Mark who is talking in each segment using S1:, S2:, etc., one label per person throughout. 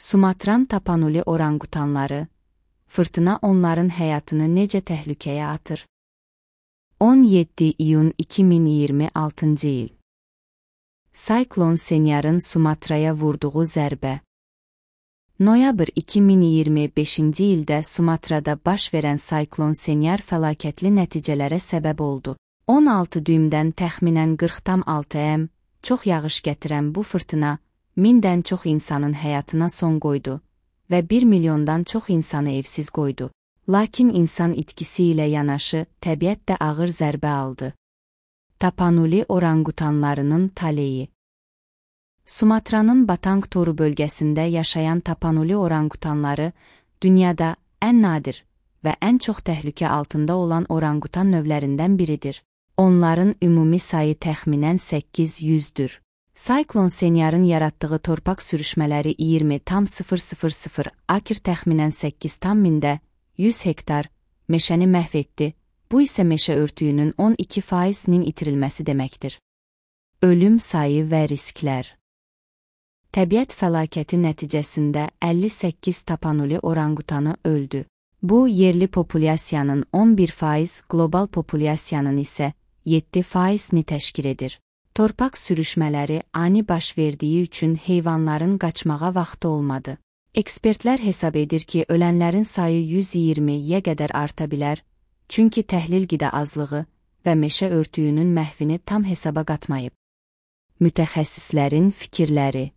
S1: Sumatran tapanuli orangutanları, fırtına onların həyatını necə təhlükəyə atır? 17 iyun 2026 il. Siklon Senyarın Sumatraya vurduğu zərbə. Noyabr 2025-ci ildə Sumatrada baş verən Siklon Senyar fəlakətli nəticələrə səbəb oldu. 16 düymdən təxminən 40,6 m çox yağış gətirən bu fırtına 1000-dən çox insanın həyatına son qoydu və 1 milyondan çox insanı evsiz qoydu. Lakin insan itkisi ilə yanaşı təbiət də ağır zərbə aldı. Tapanuli orangutanlarının taleyi. Sumatranın Batang Toru bölgəsində yaşayan tapanuli orangutanları dünyada ən nadir və ən çox təhlükə altında olan orangutan növlərindən biridir. Onların ümumi sayı təxminən 800-dür. Siklon Senyarın yaratdığı torpaq sürüşmələri 20,000 akr təxminən 8,000 100 hektar meşəni məhv etdi. Bu isə meşə örtüyünün 12%-nin itirilməsi deməkdir. Ölüm sayı və risklər. Təbiət fəlakəti nəticəsində 58 tapanuli orangutanı öldü. Bu, yerli populyasiyanın 11%, qlobal populyasiyanın isə 7%-ni təşkil edir. Torpaq sürüşmələri ani baş verdiyi üçün heyvanların qaçmağa vaxtı olmadı. Ekspertlər hesab edir ki, ölənlərin sayı 120-yə qədər arta bilər, çünki təhlil qida azlığı və meşə örtüyünün məhvini tam hesaba qatmayıb. Mütəxəssislərin fikirləri.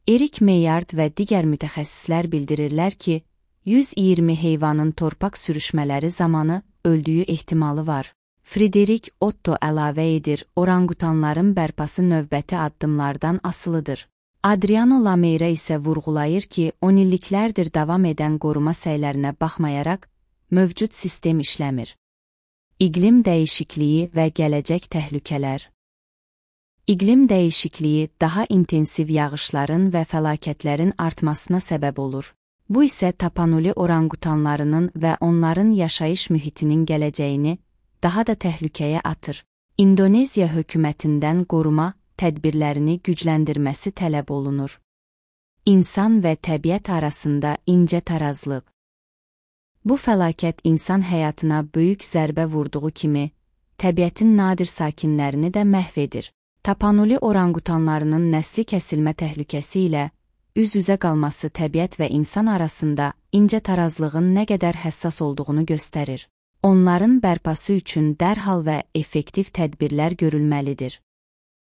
S1: Erik Meyard və digər mütəxəssislər bildirirlər ki, 120 heyvanın torpaq sürüşmələri zamanı öldüyü ehtimalı var. Frederick Otto əlavə edir, orangutanların bərpası növbəti addımlardan asılıdır. Adriano Lameira isə vurğulayır ki, 10 illiklərdir davam edən qoruma səylərinə baxmayaraq, mövcud sistem işləmir. İqlim dəyişikliyi və gələcək təhlükələr. İqlim dəyişikliyi daha intensiv yağışların və fəlakətlərin artmasına səbəb olur. Bu isə tapanuli orangutanlarının və onların yaşayış mühitinin gələcəyini daha da təhlükəyə atır. İndoneziya hökumətindən qoruma tədbirlərini gücləndirməsi tələb olunur. İnsan və təbiət arasında incə tarazlıq. Bu fəlakət insan həyatına böyük zərbə vurduğu kimi, təbiətin nadir sakinlərini də məhv edir. Tapanuli orangutanlarının nəsli kəsilmə təhlükəsi ilə üz-üzə qalması təbiət və insan arasında incə tarazlığın nə qədər həssas olduğunu göstərir. Onların bərpası üçün dərhal və effektiv tədbirlər görülməlidir.